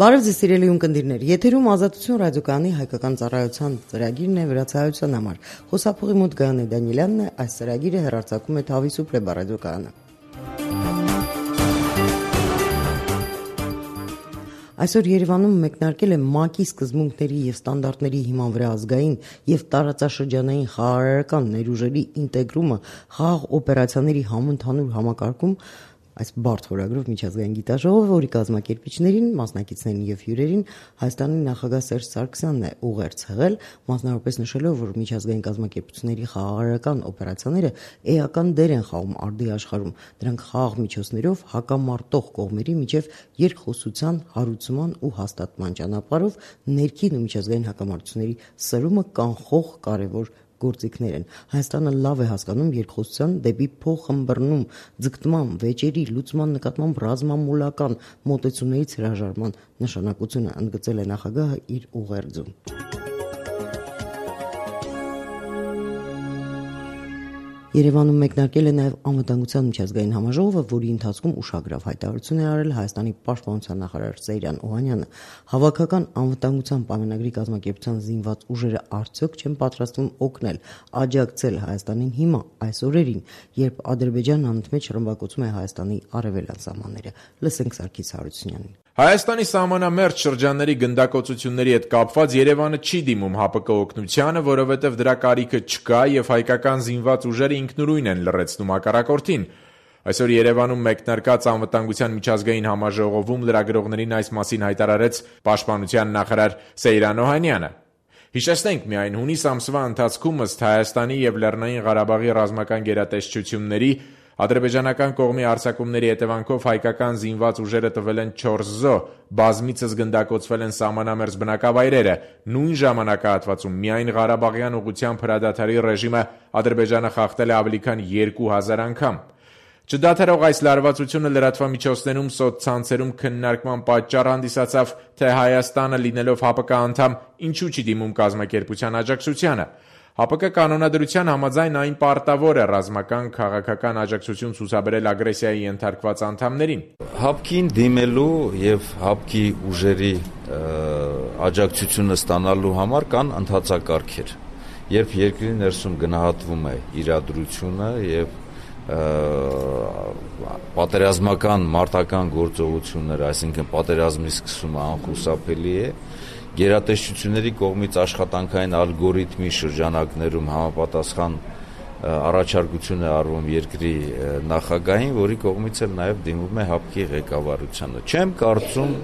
Բարև ձեզ սիրելի ունկնդիրներ, եթերում Ազատություն ռադիոկայանի հայկական ծառայության ծրագիրն է վրացայության համար։ Խոսափողի մոտ Գայանե Դանիելյանն է, այս ծրագիրը հեռարձակում է Թավիսուպրե ռադիոկայանը։ Այսօր Երևանում մեկնարկել է ՄԱԿ-ի սկզբունքների և ստանդարտների հիման վրա ազգային և տարածաշրջանային խաղաղարարական ներուժերի ինտեգրումը խաղաղ օպերացիաների համընդհանուր համակարգում, այս բարդ խորագրով միջազգային գիտաժողովը, որի կազմակերպիչներին, մասնակիցներին և հյուրերին Հայաստանի նախագահ Սերժ Սարգսյանն է ուղերձ հղել, մասնավորապես նշելով, որ միջազգային կազմակերպությունների խաղաղարարական օպերացիաները էական դեր են խաղում արդի աշխարհում, դրանք խաղաղ միջոցներով հակամարտող կողմերի միջև երկխոսության, հարուցման ու հաստատման ճանապարհով ներքին ու միջազգային հակամարտությունների սրումը կանխող կարևոր գործիքներ են։ Հայաստանը լավ է հասկանում երկխոսության դեպի փոխըմբռնում, ձգտման, վեճերի, լուծման նկատմամբ ռազմամոլական մոտեցումներից հրաժարման նշանակությունը, ընդգծել է նախագահը իր ուղերձում։ Երևանում մեկնարկել է նաև անվտանգության միջազգային համաժողովը, որի ընթացքում ուշագրավ հայտարարություն է արել Հայաստանի պաշտպանության նախարար Սեյրան Օհանյանը։ Հավաքական անվտանգության պայմանագրի կազմակերպության զինված ուժերը արդյոք չեն պատրաստվում օգնել, աջակցել Հայաստանին հիմա, այս օրերին, երբ Ադրբեջանն անընդմեջ ռմբակոծում է Հայաստանի արևելյան սահմանները։ Լսենք Սարգիս Հարությունյանին։ Հայաստանի սահմանամերձ շրջանների գնդակոծությունների հետ կապված Երևանը չի դիմում ՀԱՊԿ օգնությանը, որովհետև դրա կարիքը չկա և հայկական զինված ուժերը ինքնուրույն են լռեցնում հակառակորդին։ Այսօր Երևանում մեկնարկած անվտանգության միջազգային համաժողովում լրագրողներին այս մասին հայտարարեց պաշտպանության նախարար Սեյրան Օհանյանը։ Հիշեցնենք միայն, հունիս ամսվա ընթացքում ըստ Հայաստանի և Լեռնային Ղարաբաղի ռազմական գերատեսչությունների ադրբեջանական կողմի հարձակումների հետևանքով հայկական զինված ուժերը տվել են 4 զոհ, բազմիցս գնդակոծվել են սահմանամերձ բնակավայրերը։ Նույն ժամանակահատվածում միայն Ղարաբաղյան ուղղությամբ հրադադարի ռեժիմը Ադրբեջանը խախտել է ավելի քան 2000 անգամ։ Չդադարող այս լարվածությունը լրատվամիջոցներում, սոցցանցերում քննարկման պատճառ հանդիսացավ, թե Հայաստանը լինելով ՀԱՊԿ անդամ, ինչու չի դիմում կազմակերպության աջակցությանը։ ՀԱՊԿ կանոնադրության համաձայն այն պարտավոր է ռազմական, քաղաքական աջակցություն ցուցաբերել ագրեսիայի ենթարկված անդամներին։ ՀԱՊԿ-ին դիմելու եւ ՀԱՊԿ-ի ուժերի աջակցությունը ստանալու համար կան ընթացակարգեր։ Երբ երկրի ներսում գնահատվում է իրադրությունը եւ պատերազմական մարտական գործողությունները, այսինքն պատերազմի սկսումը անխուսափելի է, գերատեսչությունների կողմից աշխատանքային ալգորիթմի շրջանակներում համապատասխան առաջարկություն է արվում երկրի նախագահին, որի կողմից էլ նաև դիմում է ՀԱՊԿ-ի ղեկավարությանը։ Չեմ կարծում,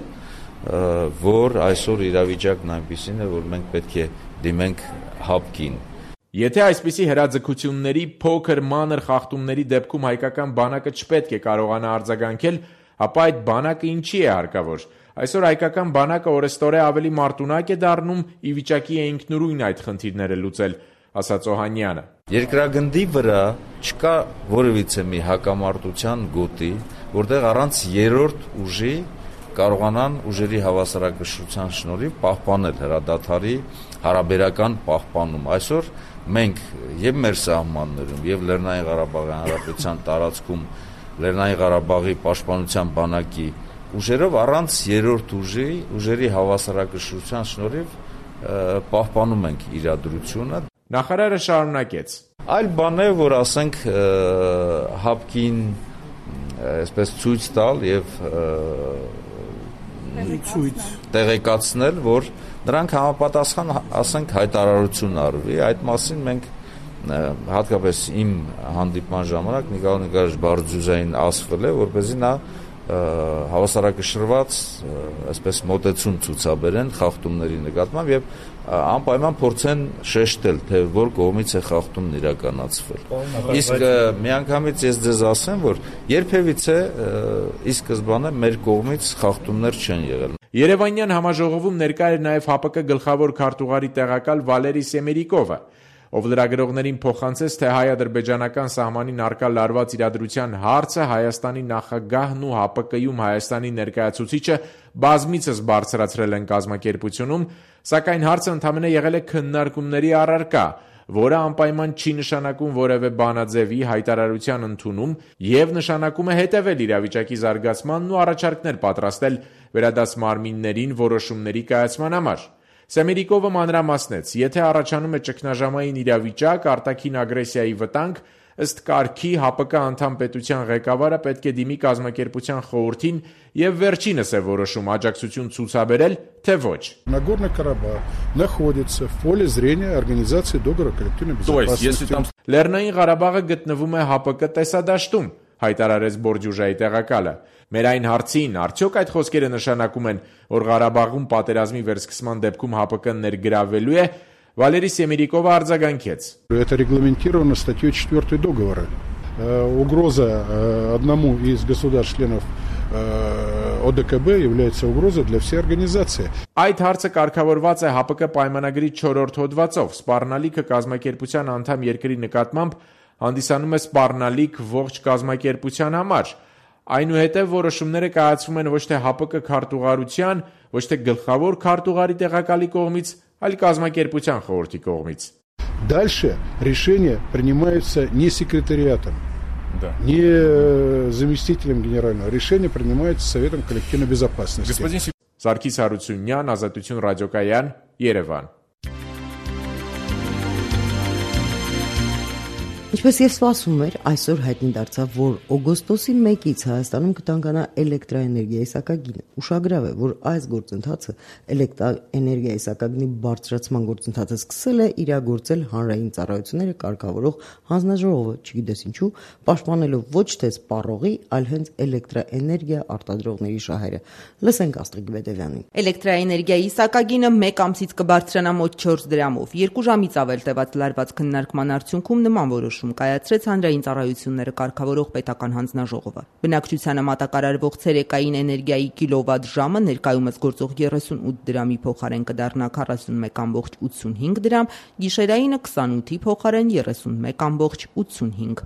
որ այսօր իրավիճակն այնպիսին է, որ մենք պետք է դիմենք ՀԱՊԿ-ին։ Եթե այսպիսի հրաձգությունների, փոքր մանր խախտումների դեպքում հայկական բանակը չպետք է կարողանա արձագանքել, ապա այդ բանակը ինչի է հարկավոր։ Այսօր հայկական բանակը օրեստորե ավելի մարտունակ է դառնում, ի վիճակի է ինքնուրույն այդ խնդիրները լուծել, ասաց Օհանյանը։ Երկրագնդի վրա չկա որևիցե մի հակամարտության գոտի, որտեղ առանց երրորդ ուժի կարողանան ուժերի հավասարակշռության շնորհիվ պահպանել հրադադարի հարաբերական պահպանում։ Այսօր մենք եւ մեր սահմաններում եւ Լեռնային Ղարաբաղի Հանրապետության տարածքում Լեռնային Ղարաբաղի պաշտպանության բանակի ուժերով առանց երրորդ ուժերի հավասարակշռության շնորհիվ պահպանում ենք իրադրությունը։ Նախարարը շարունակեց. Այլ բան է, որ ասենք ՀԱՊԿ-ին այսպես ցույց տալ եւ տեղեկացնել, որ նրանք համապատասխան, ասենք, հայտարարություն արվի, այդ մասին մենք հատկապես իմ հանդիպման ժամանակ Նիկոլ Նիկոլաևիչ Բարդուզային ասվել է, որպեսզի նա հավասարակշռված այսպես մոտեցում ցուցաբերեն խախտումների նկատմամբ եւ անպայման փորձեն շեշտել, թե որ կողմից է խախտումն իրականացվել։ Իսկ միանգամից ես ձեզ ասեմ, որ երբևիցե ի սկզբանե մեր կողմից խախտումներ չեն եղել։ Երևանյան համաժողովում ներկա էր նաև ՀԱՊԿ գլխավոր քարտուղարի տեղակալ Վալերի Սեմերիկովը, ով լրագրողներին փոխանցեց, թե հայ-ադրբեջանական սահմանին առկա լարված իրադրության հարցը Հայաստանի նախագահն ու ՀԱՊԿ-ում Հայաստանի ներկայացուցիչը բազմիցս բարձրացրել են կազմակերպությունում, սակայն հարցը ընդամենը եղել է քննարկումների առարկա, որը անպայման չի նշանակում որևէ բանաձևի հայտարարության ընդունում եւ նշանակում է հետեւել իրավիճակի զարգացմանն ու առաջարկներ պատրաստել վերադաս մարմիններին որոշումների կայացման համար։ Սեմերիկովը մանրամասնեց, եթե առաջանում է ճգնաժամային իրավիճակ, արտաքին ագրեսիայի վտանգ, ըստ կարգի ՀԱՊԿ անդամ պետության ղեկավարը պետք է դիմի կազմակերպության խորհրդին եւ վերջինս է որոշում աջակցություն ցուցաբերել, թե ոչ։ Нагорный Карабах находится в поле зрения организации договора коллективной безопасности. Լեռնային Ղարաբաղը գտնվում է ՀԱՊԿ տեսադաշտում, հայտարարեց Բորդյուժայի տեղակալը։ Մեր այն հարցին, արդյոք այդ խոսքերը նշանակում են, որ Ղարաբաղում պատերազմի վերսկսման դեպքում ՀԱՊԿ-ն ներգրավվելու է, Վալերի Սեմերիկովը արձագանքեց. Это регламентировано статьей 4 договора. Угроза одному из государств-членов ОДКБ является угрозой для всей организации. Այդ հարցը կարգավորված է ՀԱՊԿ պայմանագրի 4-րդ հոդվածով։ Սպառնալիքը կազմակերպության անդամ երկրի նկատմամբ հանդիսանում է սպառնալիք ողջ կազմակերպության համար։ Այնուհետև որոշումները կայացվում են ոչ թե ՀԱՊԿ քարտուղարության, ոչ թե գլխավոր քարտուղարի տեղակալի կողմից, այլ կազմակերպության խորհրդի կողմից։ Дальше решения принимаются не секретариатом, не заместителем генерального. Решение принимается Советом коллективной безопасности. Սարգիս Հարությունյան, Ազատություն ռադիոկայան, Երևան։ Ինչպես եւ սպասվում էր, այսօր հայտնի դարձավ, որ օգոստոսի 1-ից Հայաստանում կտանկանա էլեկտրաէներգիայի սակագինը։ Ուշագրավ է, որ այս գործընթացը էլեկտրաէներգիայի սակագնի բարձրացման գործընթացը սկսել է իրագործել հանրային ծառայությունները կարգավորող հանձնաժողովը, չգիտես ինչու, պաշտպանելով ոչ թե սպառողի, այլ հենց էլեկտրաէներգիա արտադրողների շահերը։ Լսենք Աստղիկ Բեդևյանին։ Էլեկտրաէներգիայի սակագինը 1 ամսից կբարձրանա մոտ 4 դրամով։ 2 ժամից ավել տևած լարված քննարկման արդյունքում նման որոշում կայացրեց հանրային ծառայությունները կարգավորող պետական հանձնաժողովը։ Բնակչությանը մատակարարվող ցերեկային էներգիայի կիլովատ ժամը ներկայումս գործող 38 դրամի փոխարեն կդառնա 41.85 դրամ, գիշերայինը 28-ի փոխարեն 31.85։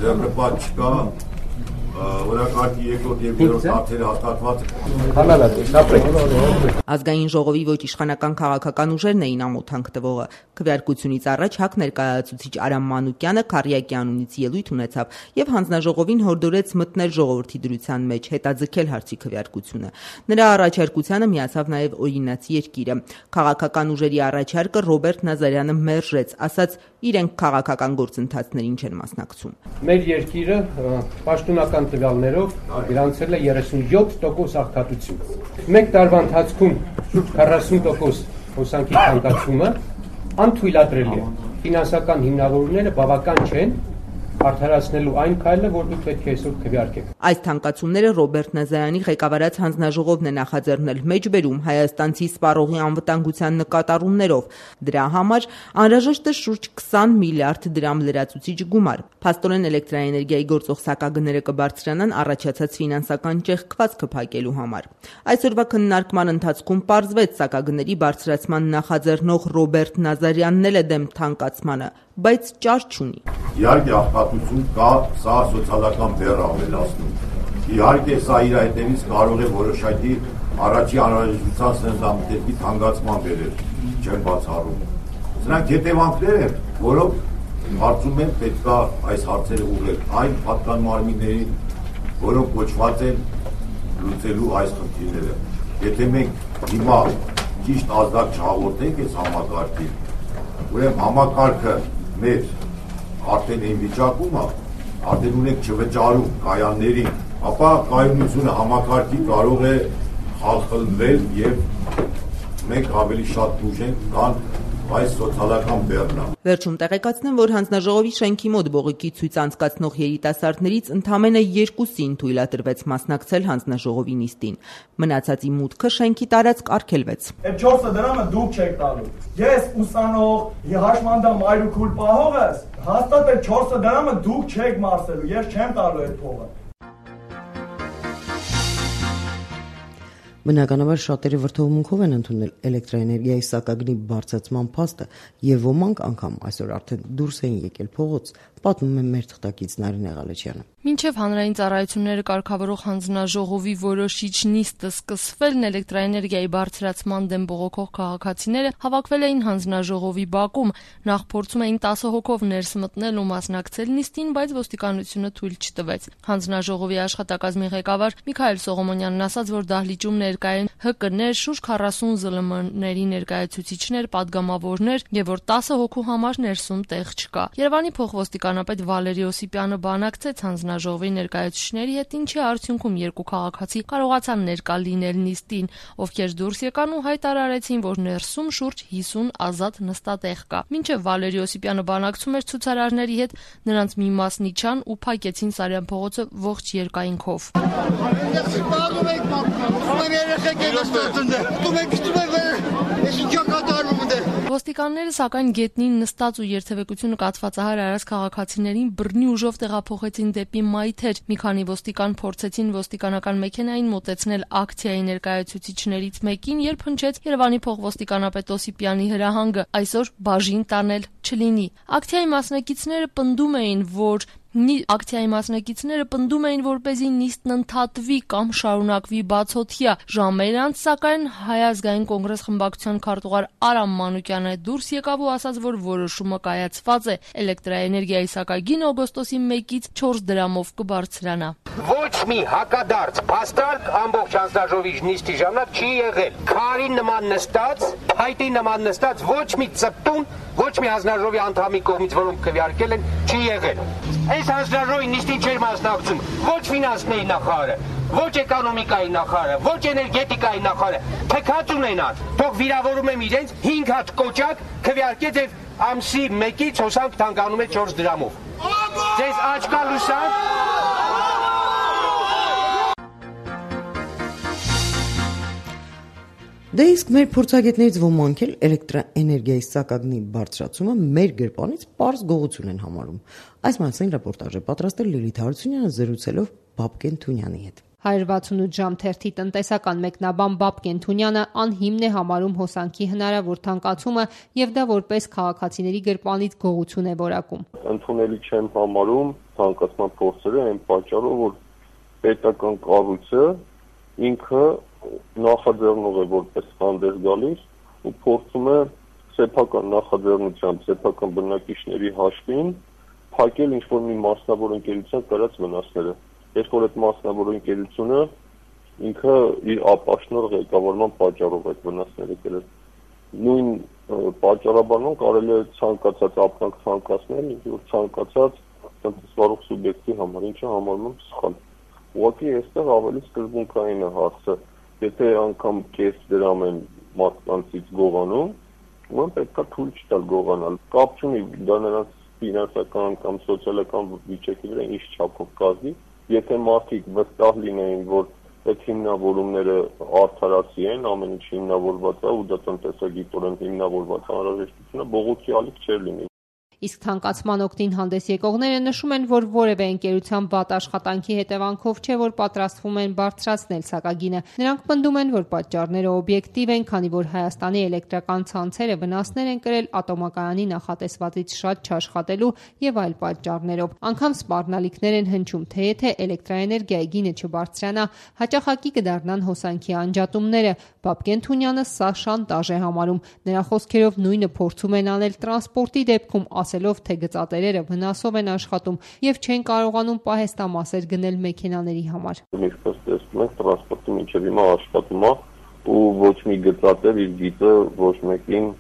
Ձեռնպատ չկա, օրակարգի երկրորդ եւ երրորդ հարցերը հաստատված։ Ազգային ժողովի ոչ իշխանական քաղաքական ուժերն էին ամոթանք տվողը։ Քվեարկությունից առաջ ՀԱԿ ներկայացուցիչ Արամ Մանուկյանը Քարյակի անունից ելույթ ունեցավ եւ հանձնաժողովին հորդորեց մտնել ժողովրդի դրության մեջ, հետաձգել հարցի քվեարկությունը։ Նրա առաջարկությանը միացավ նաեւ օրինաց երկիրը։ Քաղաքական ուժերի առաջարկը Ռոբերտ Նազարյանը մերժեց, ասաց իրենք քաղաքական գործընթացներին չեն մասնակցում։ Մեր երկիրը պաշտոնական տվյալներով գրանցել է 37% աղքատություն։ Մեկ տարվա ընթացքում շուրջ 40% հոսանքի թանկացումը անթույլատրելի է։ Ֆինանսական հիմնավորումները բավական չեն արդարացնելու այն քայլը, որ դուք պետք է այսօր քվեարկեք։ Այս թանկացումները Ռոբերտ Նազարյանի ղեկավարած հանձնաժողովն է նախաձեռնել մեջբերում հայաստանցի սպառողի անվտանգության նկատառումներով։ Դրա համար անհրաժեշտ է շուրջ 20 միլիարդ դրամ լրացուցիչ գումար։ Փաստորեն էլեկտրաէներգիայի գործող սակագները կբարձրանան առաջացած ֆինանսական ճեղքվածքը փակելու համար։ Այսօրվա քննարկման ընթացքում պարզվեց սակագների բարձրացման նախաձեռնող Ռոբերտ Նազարյանն էլ է դեմ թանկացմանը, բայց ճար չունի։ Իհարկե աղքատություն կա, սա սոցիալական բեռ ավելացնում։ Իհարկե սա իր հետևից կարող է որոշակի առաջի անհրաժեշտության սննդամթերքի թանկացման բերել, չեմ բացառում։ Սրանք հետևանքներ են, որոնք հարցում են պետքա այս հարցերը ուղղել այն պատկան մարմիններին, որոնք կոչված են լուծելու այս խնդիրները։ Եթե մենք հիմա ճիշտ ազդակ չհաղորդենք այս համակարգին, ուրեմն համակարգը մեր արդեն այն վիճակում է, արդեն ունենք չվճարում կայաններին, ապա կայունությունը համակարգի կարող է խախտվել եւ մենք ավելի շատ դժվար կան այս սոցիալական բեռնը։ Վերջում տեղեկացնեմ, որ հանձնաժողովի շենքի մոտ բողոքի ցույց անցկացնող երիտասարդներից ընդամենը 2-ին թույլատրվեց մասնակցել հանձնաժողովի նիստին։ Մնացածի մուտքը շենքի տարածք արգելվեց։ Այդ 4 դրամը դուք չեք տալու։ Ես ուսանող, հաշմանդամ այրուքուլ պահողս, հաստատ այդ 4 դրամը դուք չեք մարսելու, ես չեմ տալու այդ փողը։ Բնականաբար շատերը վրդովմունքով են ընդունել էլեկտրաէներգիայի սակագնի բարձրացման փաստը եւ ոմանք անգամ այսօր արդեն դուրս են եկել փողոց, պատմում է մեր թղթակից Նարինե Ղալեչյանը։ Մինչև հանրային ծառայությունները կարգավորող հանձնաժողովի որոշիչ նիստը սկսվելն էլեկտրաէներգիայի բարձրացման դեմ բողոքող քաղաքացիները հավաքվել էին հանձնաժողովի բակում, նախ փորձում էին 10 հոգով ներս մտնել ու մասնակցել նիստին, բայց ոստիկանությունը թույլ չտվեց։ Հանձնաժողովի աշխատակազմի ղեկավար Միքայել Սողոմոնյանն ասաց, որ դահլիճում ներկայ են ՀԿ-ներ, շուրջ 40 ԶԼՄ-ների ներկայացուցիչներ, падգամավորներ եւ որ 10 հոգու համար ներսում տեղ չկա։ Երևանի փոխոստիկանապետ Վալերի Օսիպյանը բանակցեց հանձնաժողովի ներկայացուցիչների հետ, ինչի արդյունքում երկու քաղաքացի կարողացան ներկա լինել նիստին, ովքեր դուրս եկան ու հայտարարեցին, որ ներսում շուրջ 50 ազատ նստատեղ կա։ Մինչև Վալերի Օսիպյանը բանակցում էր ցուցարարների հետ, նրանց մի մասն իջան ու փակեցին Սարյան փողոցը ողջ երկայնքով։ Ոստիկանները սակայն գետնին նստած ու երթևեկությունը կացվածահար արած քաղաքացիներին բռնի ուժով տեղափոխեցին դեպի մայթեր։ Մի քանի ոստիկան փորձեցին ոստիկանական մեքենային մոտեցնել ակցիայի ներկայացուցիչներից մեկին, երբ հնչեց Երևանի փոխոստիկանապետ Օսիպյանի հրահանգը այսօր բաժին տանել չլինի։ Ակցիայի մասնակիցները պնդում էին, որպեսզի նիստն ընդհատվի կամ շարունակվի բացօթյա։ Ժամեր անց, սակայն Հայ ազգային կոնգրես խմբակցության քարտուղար Արամ Մանուկյանը դուրս եկավ ու ասաց, որ որոշումը կայացված է։ Էլեկտրաէներգիայի սակագին օգոստոսի 1-ից 4 դրամով կբարձրանա։ Ոչ մի հակադարձ փաստարկ ամբողջ հանձնաժողովի նիստի ժամանակ չի եղել։ Քարի նման նստած, փայտի նման նստած ոչ մի ծպտուն, ոչ մի հանձնաժողովի անդամի կողմից, որոնք քվեարկել են, չի եղել։ Այս հանձնաժողովի նիստին չէր մասնակցում ոչ ֆինանսների նախարարը, ոչ էկոնոմիկայի նախարարը, ոչ էներգետիկայի նախարարը, թքած ունենան, թող վիրավորում եմ իրենց 5 հատ կոճակ քվեարկեց եւ ամսի 1-ից հոսանք թանկանում է 4 դրամով։ Ձեզ աչքա լուսան։ Դե իսկ մեր փորձագետներից ոմանք էլ էլեկտրաէներգիայի սակագնի բարձրացումը մեր գրպանից պարզ գողություն են համարում։ Այս մասին ռեպորտաժ է պատրաստել Լիլիթ Հարությունյանը զրուցելով Բաբկեն Թունյանի հետ։ 168 ժամ թերթի տնտեսական մեկնաբան Բաբկեն Թունյանը անհիմն է համարում հոսանքի հնարավոր թանկացումը եւ դա որպես քաղաքացիների գրպանից գողություն է որակում։ Ընդունելի չեմ համարում թանկացման փորձերը այն պատճառով, որ պետական կառույցը ինքը նախաձեռնող է որպես հանդես գալիս ու փորձում է սեփական նախաձեռնությամբ, սեփական բնակիչների հաշվին փակել ինչ-որ մի մասնավոր ընկերության կրած վնասները։ Երբ որ այդ մասնավոր ընկերությունը ինքը իր ապաշնոր ղեկավարման պատճառով այդ վնասները կրել։ Նույն պատճառաբանում կարելի է ցանկացած ապրանք ցանկացնել, որ ցանկացած տնտեսվարող սուբյեկտի համար, ինչը համարում եմ սխալ։ Ուղղակի այստեղ ավելի սկզբունքային է հարցը։ Եթե անգամ կես դրամ են մարդկանցից գողանում, ուրեմն պետք է թույլ չտալ գողանալ։ Կապ չունի դա նրանց ֆինանսական կամ սոցիալական վիճակի վրա ինչ չափով կազմի։ Եթե մարդիկ վստահ լինեին, որ այդ հիմնավորումները արդարացի են, ամեն ինչ հիմնավորված է ու դա տնտեսագիտորեն հիմնավորված անհրաժեշտությունը բողոքի ալիք չէր լինի։ Իսկ թանկացման օգտին հանդես եկողները նշում են, որ որևէ ընկերության վատ աշխատանքի հետևանքով չէ, որ պատրաստվում են բարձրացնել սակագինը։ Նրանք պնդում են, որ պատճառները օբյեկտիվ են, քանի որ Հայաստանի էլեկտրական ցանցերը վնասներ են կրել ատոմակայանի նախատեսվածից շատ չաշխատելու եւ այլ պատճառներով։ Անգամ սպառնալիքներ են հնչում, թե եթե էլեկտրաէներգիայի գինը չբարձրանա, հաճախակի կդառնան հոսանքի անջատումները։ Բաբկեն Թունյանը սա շանտաժ է համարում։ Նրա խոսքերով նույնը փորձում են անել տրանսպորտի դեպքում, ասելով, թե գծատերերը վնասով են աշխատում եւ չեն կարողանում պահեստամասեր գնել մեքենաների համար։ Ինչպես տեսնում եք, տրանսպորտը մինչև հիմա աշխատում է ու ոչ մի գծատեր իր գիծը ոչ մեկին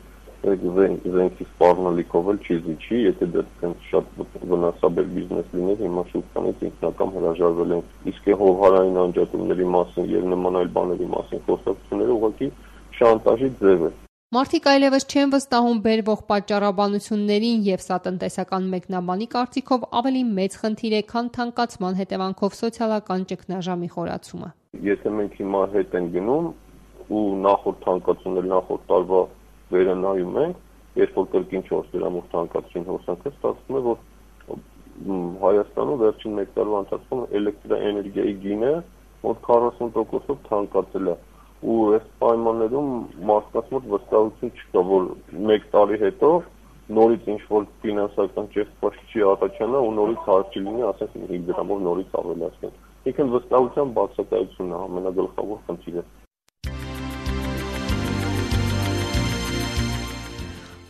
զենքի սպառնալիքով էլ չի զիջի, եթե դա շատ վնասաբեր բիզնես լիներ, հիմա շուտանից ինքնական հրաժարվել են։ Իսկ հովհարային անջատումների մասին եւ նման այլ բաների մասին խոսակցությունները ուղղակի շանտաժի ձև է։ Մարդիկ այլևս չեն վստահում բերվող պատճառաբանություններին եւ սա տնտեսական մեկնաբանի կարծիքով ավելի մեծ խնդիր է, քան թանկացման հետևանքով սոցիալական ճգնաժամի խորացումը։ Եթե մենք հիմա հետ ենք գնում ու նախորդ թանկացումներ նախորդ տարվա վերը նայում ենք, երբ որ կրկին 4 դրամով թանկացրին հոսանքը, ստացվում է, որ Հայաստանում վերջին 1 տարվա ընթացքում էլեկտրաէներգիայի գինը մոտ 40%-ով թանկացել է։ Ու այս պայմաններում մարդկանց մոտ վստահություն չկա, որ 1 տարի հետո նորից ինչ-որ ֆինանսական ճեղքված չի առաջանա ու նորից հարկ լինի, ասենք 5 դրամով նորից ավելացնել։ Ինքն վստահության բացակայությունն է ամենագլխավոր խնդիրը։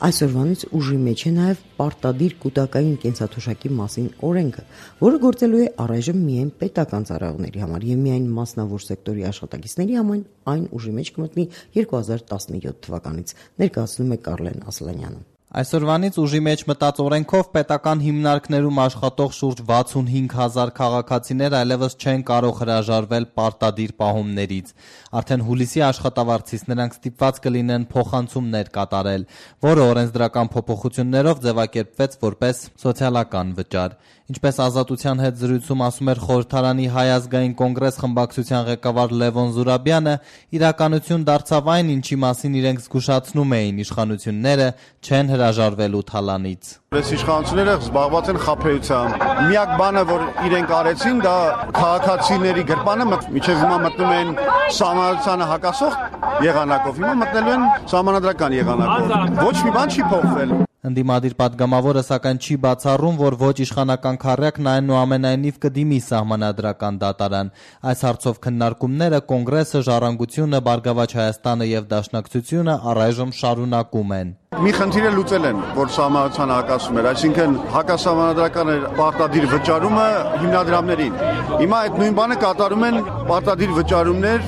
Այսօրվանից ուժի մեջ է նաև պարտադիր կուտակային կենսաթոշակի մասին օրենքը, որը գործելու է առայժմ միայն պետական ծառայողների համար եւ միայն մասնավոր սեկտորի աշխատակիցների համար այն ուժի մեջ կմտնի 2017 թվականից, ներկայացնում է Կարլեն Ասլանյանը։ Այսօրվանից ուժի մեջ մտած օրենքով պետական հիմնարկներում աշխատող շուրջ 65,000 քաղաքացիներ այլևս չեն կարող հրաժարվել պարտադիր պահումներից։ Արդեն հուլիսի աշխատավարձից նրանք ստիպված կլինեն փոխանցումներ կատարել, որը օրենսդրական փոփոխություններով ձևակերպվեց որպես սոցիալական վճար։ Ինչպես Ազատության հետ զրույցում ասում էր Խորհրդարանի Հայ ազգային կոնգրես խմբակցության ղեկավար Լևոն Զուրաբյանը, իրականություն դարձավ այն, ինչի մասին իրենք զգուշացնում էին իշխանությունները, չեն հրաժարվելու թալանից։ Այս իշխանությունները զբաղված են խաբեությամբ։ Միակ բանը, որ իրենք արեցին, դա քաղաքացիների գրպանը միջև հիմա մտնում են սահմանադրությանը հակասող եղանակով, հիմա մտնելու են սահմանադրական եղանակով։ Ոչ մի բան չի փոխվել։ Ընդդիմադիր պատգամավորը սակայն չի բացառում, որ ոչ իշխանական քառյակն այնուամենայնիվ կդիմի սահմանադրական դատարան։ Այս հարցով քննարկումները Կոնգրեսը, Ժառանգությունը, Բարգավաճ Հայաստանը եւ Դաշնակցությունը առայժմ շարունակում են։ Մի խնդիր լուծել են, որ սահմանադրությանը հակասում էր, այսինքն հակասահմանադրական պարտադիր վճարումը հիմնադրամներին։ Հիմա այդ նույն բանը կատարում են պարտադիր վճարումներ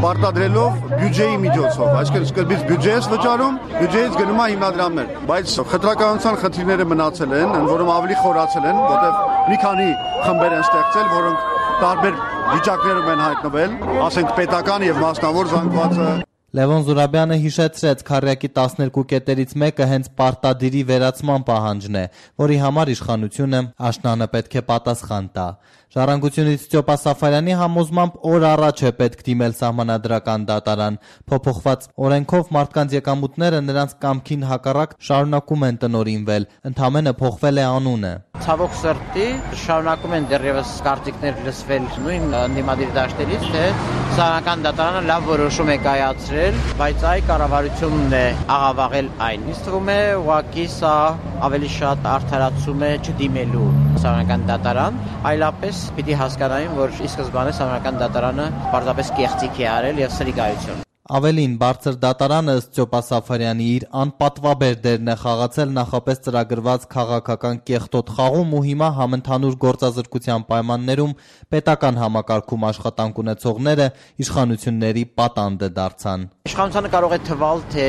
պարտադրելով բյուջեի միջոցով, այսինքն սկզբից բյուջեից վճարում, բյուջեից գնում է հիմնադրամներ, բայց խտրականության խնդիրները մնացել են, ընդ որում ավելի խորացել են, որտեղ մի քանի խմբեր են ստեղծել, որոնք տարբեր վիճակներում են հայտնվել, ասենք պետական եւ մասնավոր զանգվածը։ Լևոն Զուրաբյանը հիշեցրեց քառյակի 12 կետերից մեկը հենց պարտադիրի վերացման պահանջն է, որի համար իշխանությունը աշնանը պետք է պատասխան տա։ Ժառանգությունից Ստյոպա Սաֆարյանի համոզմամբ օր առաջ է պետք դիմել սահմանադրական դատարան։ Փոփոխված օրենքով մարդկանց եկամուտները նրանց կամքին հակառակ շարունակում են տնօրինվել, ընդամենը փոխվել է անունը։ Ցավոք սրտի շարունակում են դեռևս կարծիքներ լսվել նույն ընդդիմադիր դաշտերից, թե սահմանադրական դատարանը լավ որոշում է կայացրել, բայց այ կառավարությունն է աղավաղել այն։ Ինձ թվում է ուղղակի սա ավելի շատ արդարացում է չդիմելու սահմանադրական դատարան, այլապես պիտի հասկանային, որ ի սկզբանե սահմանադրական դատարանը պարզապես կեղծիք է արել եւ սրիկայություն։ Ավելին, բարձր դատարանը ըստ Ստյոպա Սաֆարյանի իր անպատվաբեր դերն է խաղացել նախապես ծրագրված քաղաքական կեղտոտ խաղում ու հիմա համընդհանուր գործազրկության պայմաններում պետական համակարգում աշխատանք ունեցողները իշխանությունների պատանդը դարձան։ Իշխանությունը կարող է թվալ, թե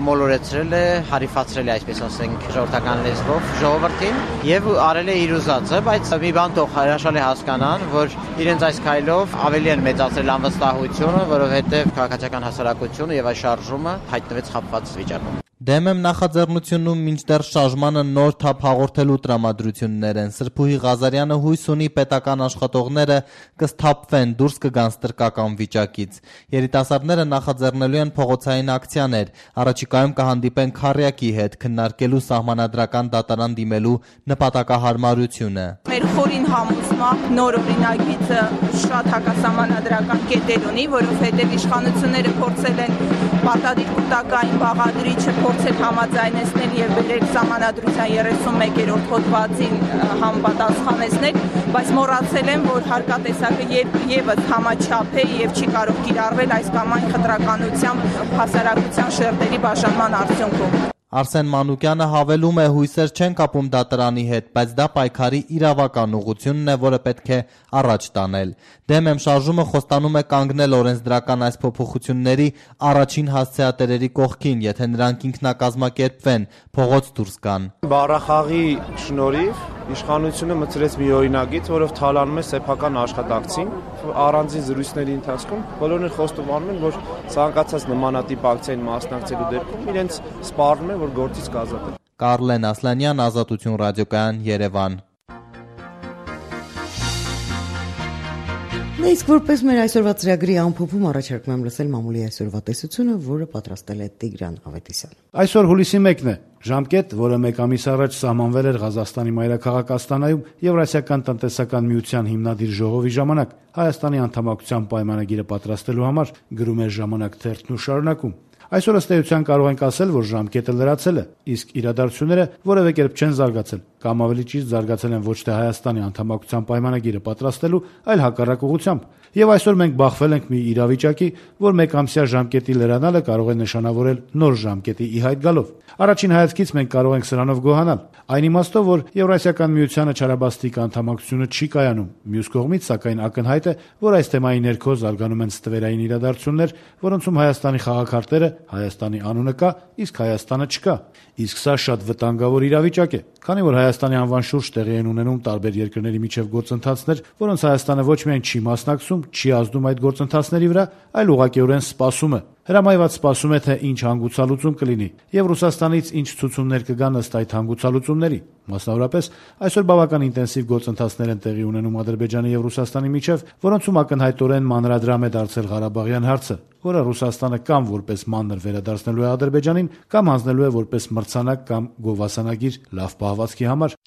մոլորեցրել է, հարիֆացրել է, այսպես ասենք, ժողովրդական լեզվով ժողովրդին եւ արել է իր ուզածը, բայց մի բան թող հրաշալի հասկանան, որ իրենց այս քայլով ավելի են մեծացրել անվստահությունը, որովհետեւ քաղաքացիական հասարակությունը եւ այս շարժումը հայտնվեց խաբված վիճակում։ Դեմ եմ նախաձեռնությունում մինչդեռ շարժմանը նոր թափ հաղորդելու տրամադրություններ են։ Սրբուհի Ղազարյանը հույս ունի պետական աշխատողները կսթափվեն, դուրս կգան ստրկական վիճակից։ Երիտասարդները նախաձեռնելու են փողոցային ակցիաներ, առաջիկայում կհանդիպեն քառյակի հետ, քննարկելու սահմանադրական դատարան դիմելու նպատակահարմարությունը։ Մեր խորին համոզմամբ նոր օրինագիծը շատ հակասահմանադրական կետեր ունի, որովհետև իշխանությունները փորձել են պարտադիր կուտակային բաղադրիչը փորձել համաձայնեցնել եւ բերել սահմանադրության 31-րդ հոդվածին համապատասխանեցնել, բայց մոռացել են, որ հարկատեսակը եւս համաչափ է եւ չի կարող կիրառվել այս կամ այն խտրականությամբ հասարակության շերտերի բաժանման արդյունքում։ Արսեն Մանուկյանը հավելում է, հույսեր չեն կապում դատարանի հետ, բայց դա պայքարի իրավական ուղղությունն է, որը պետք է առաջ տանել։ Դեմ եմ շարժումը խոստանում է կանգնել օրենսդրական այս փոփոխությունների առաջին հասցեատերերի կողքին, եթե նրանք ինքնակազմակերպվեն, փողոց դուրս գան։ Բառախաղի շնորհիվ իշխանությունը մտցրեց մի օրինագիծ, որով թալանում է սեփական աշխատակցին։ Առանձին զրույցների ընթացքում բոլորն խոստովանում են, որ ցանկացած նմանատիպ ակցիային մասնակցելու դեպքում իրենց սպառնում է, որ գործից կազատեն։ Կարլեն Ասլանյան, Ազատություն ռադիոկայան, Երևան։ Իսկ որպես մեր այսօրվա ծրագրի ամփոփում առաջարկում եմ լսել մամուլի այսօրվա տեսությունը, որը պատրաստել է Տիգրան Ավետիսյանը։ Այսօր հուլիսի 1-ն է, ժամկետ, որը մեկ ամիս առաջ սահմանվել էր Ղազախստանի մայրաքաղաք Աստանայում Եվրասիական տնտեսական միության հիմնադիր ժողովի ժամանակ Հայաստանի անդամակցության պայմանագիրը պատրաստելու համար, գրում էր Ժամանակ թերթն ու շարունակում։ Այսօր ըստ էության կարող ենք ասել, որ ժամկետը լրացել է, իսկ իրադարձությունները որևէ կերպ չեն զարգացել, կամ ավելի ճիշտ զարգացել են ոչ թե Հայաստանի անդամակցության պայմանագիրը պատրաստելու, այլ հակառակ ուղղությամբ։ Եվ այսօր մենք բախվել ենք մի իրավիճակի, որ մեկամսյա ժամկետի լրանալը կարող է նշանավորել նոր ժամկետի ի հայտ գալով։ Առաջին հայացքից մենք կարող ենք սրանով գոհանալ, այն իմաստով, որ Եվրասիական միությանը չարաբաստիկ անդամակցությունը չի կայանում։ Մյուս կողմից, սակայն, ակնհայտ է, որ այս թեմայի ներքո զարգանում են ստվերային իրադարձություններ, որոնցում Հայաստանի խաղաքարտերը, Հայաստանի անունը կա, իսկ Հայաստանը չկա։ Իսկ սա շատ վտանգավոր իրավիճակ է, քանի որ Հայաստանի անվան շուրջ տեղի են ունենում տարբեր երկրների միջև գործընթացներ, որոնց Հայաստանը ոչ միայն չի մասնակցում, չի ազդում այդ գործընթացների վրա, այլ ուղղակիորեն սպասում է։ Հրամայված սպասում է, թե ինչ հանգուցալուծում կլինի, եւ Ռուսաստանից ինչ ցուցումներ կգան ըստ այդ հանգուցալուծումների։ Մասնավորապես, այսօր բավական ինտենսիվ գործընթացներ են տեղի ունենում Ադրբեջանի եւ Ռուսաստանի միջև, որոնցում ակնհայտորեն մանրադրամ է դարձել Ղարաբաղյան հարցը, որը Ռուսաստանը կամ որպես մանր վերադարձնելու է Ադրբեջանին, կամ հանձնելու է որպես մրցանակ կամ գովասանագիր լավ պահվածքի համար։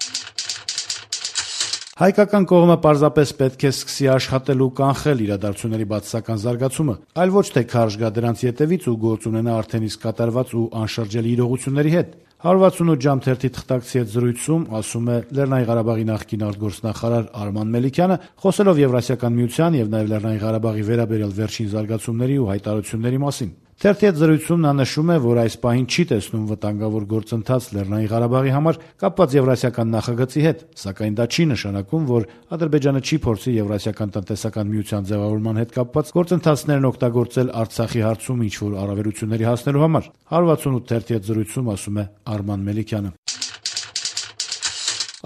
Հայկական կողմը պարզապես պետք է սկսի աշխատել ու կանխել իրադարձությունների բացասական զարգացումը, այլ ոչ թե քարշ գա դրանց ետևից ու գործ ունենա արդեն իսկ կատարված ու անշրջելի իրողությունների հետ։ 168 ժամ թերթի թղթակցի հետ զրույցում ասում է Լեռնային Ղարաբաղի նախկին արտգործնախարար Արման Մելիքյանը, խոսելով Եվրասիական միության եւ նաեւ Լեռնային Ղարաբաղի վերաբերյալ վերջին զարգացումների ու հայտարարությունների մասին։ Թերթի հետ զրույցում նա նշում է, որ այս պահին չի տեսնում վտանգավոր գործընթաց Լեռնային Ղարաբաղի համար կապված Եվրասիական նախագծի հետ, սակայն դա չի նշանակում, որ Ադրբեջանը չի փորձի Եվրասիական տնտեսական միության ձևավորման հետ կապված գործընթացներն օգտագործել Արցախի հարցում ինչ-որ առավելությունների հասնելու համար։ 168 թերթի հետ զրույցում ասում է Արման Մելիքյանը։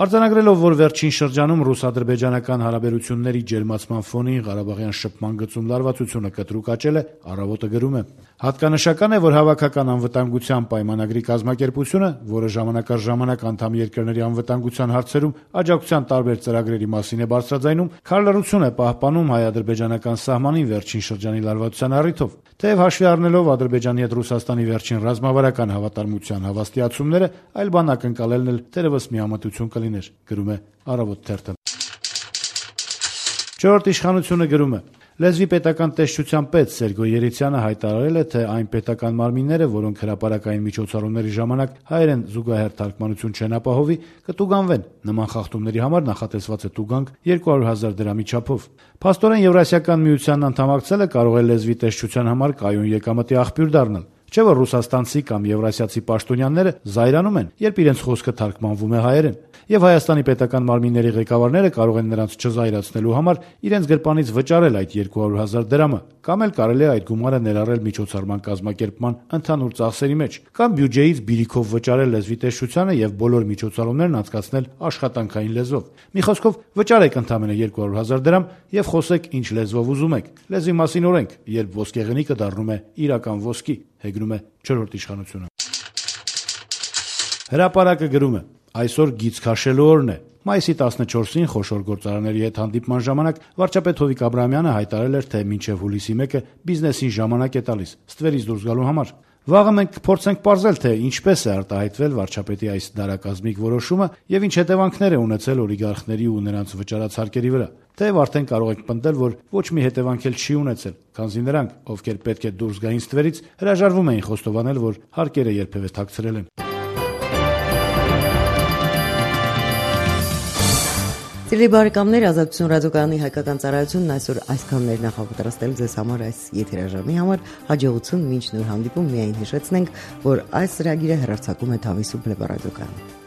Արձանագրելով, որ վերջին շրջանում ռուս-ադրբեջանական հարաբերությունների ջերմացման ֆոնին Ղարաբաղյան շփման գծում լարվածությունը կտրուկ աճել է, Առավոտը գրում է. հատկանշական է, որ հավաքական անվտանգության պայմանագրի կազմակերպությունը, որը ժամանակ առ ժամանակ անդամ երկրների անվտանգության հարցերում աջակցության տարբեր ծրագրերի մասին է բարձրաձայնում, քարլռություն է պահպանում հայ-ադրբեջանական սահմանին վերջին շրջանի լարվածության առիթով։ Թեև հաշվի առնելով Ադրբեջանի հետ Ռուսաստանի վերջին ռազմավարական հավատարմության հավաստիացումները, այլ բան ակնկալելն էլ թերևս միամտություն կլիներ, գրում է Առավոտ թերթը։ Չորրորդ իշխանությունը գրում է. Լեզվի պետական տեսչության պետ Սերգո Երիցյանը հայտարարել է, թե այն պետական մարմինները, որոնք հրապարակային միջոցառումների ժամանակ հայերեն զուգահեռ թարգմանություն չեն ապահովի, կտուգանվեն։ Նման խախտումների համար նախատեսված է տուգանք 200,000 դրամի չափով։ Փաստորեն Եվրասիական միությանն անդամակցելը կարող է լեզվի տեսչության համար կայուն եկամտի աղբյուր դառնալ։ Չէ՞ որ ռուսաստանցի կամ եվրասիացի պաշտոնյաները զայրանում են, երբ իրենց խոսքը թարգմանվում է հայերեն, եւ Հայաստանի պետական մարմինների ղեկավարները կարող են նրանց չզայրացնելու համար իրենց գրպանից վճարել այդ 200,000 դրամը, կամ էլ կարելի է այդ գումարը ներառել միջոցառման կազմակերպման ընդհանուր ծախսերի մեջ, կամ բյուջեից բիրիքով վճարել լեզվի տեսչությանը եւ բոլոր միջոցառումներն անցկացնել աշխատանքային լեզվով։ Մի խոսքով, վճարեք ընդամենը 200,000 դրամ եւ խոսեք ինչ լեզվով ուզում եք։ Լեզվի մասին օրենք, երբ ոսկեղենիկը դառնում է իրական ոսկի, հեգնում է չորրորդ իշխանությունը։ Հրապարակը գրում է. այսօր գիծ քաշելու օրն է։ Մայիսի 14-ին խոշոր գործարանների հետ հանդիպման ժամանակ վարչապետ Հովիկ Աբրահամյանը հայտարարել էր, թե մինչև հուլիսի 1-ը բիզնեսին ժամանակ է տալիս ստվերից դուրս գալու համար։ Վաղը մենք կփորձենք պարզել, թե ինչպես է արտահայտվել վարչապետի այս դարակազմիկ որոշումը եւ ինչ հետևանքներ է ունեցել օլիգարխների ու նրանց վճարած հարկերի վրա։ Թեև արդեն կարող եք պնդել, որ ոչ մի հետևանք էլ չի ունեցել, քանզի նրանք, ովքեր պետք է դուրս գային ստվերից, հրաժարվում էին խոստովանել, որ հարկերը երբևէ թաքցրել են։ Սիրելի բարեկամներ, Ազատություն ռադիոկայանի հայկական ծառայությունն այսօր այսքաններ նախապատրաստել ձեզ համար այս եթերաժամի համար, հաջողություն մինչ նոր հանդիպում, միայն հիշեցնենք, որ այս ծրագիրը հեռարձակում է Թավիսու բլեբարադիոկայանը։